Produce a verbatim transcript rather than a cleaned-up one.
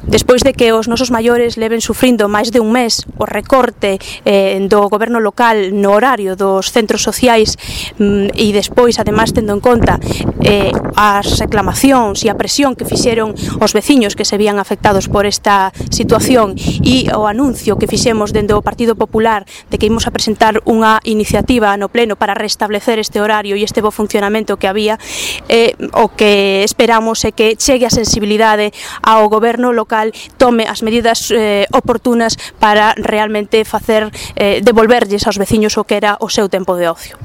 Despois de que os nosos maiores leven sufrindo máis de un mes o recorte eh, do goberno local no horario dos centros sociais mm, e despois, ademais, tendo en conta eh, as reclamacións e a presión que fixeron os veciños que se vían afectados por esta situación e o anuncio que fixemos dende o Partido Popular de que imos a presentar unha iniciativa no pleno para restablecer este horario e este bo funcionamento que había, eh, o que esperamos é que chegue a sensibilidade ao goberno local, tome as medidas eh, oportunas para realmente facer eh, devolverlles aos veciños o que era o seu tempo de ocio.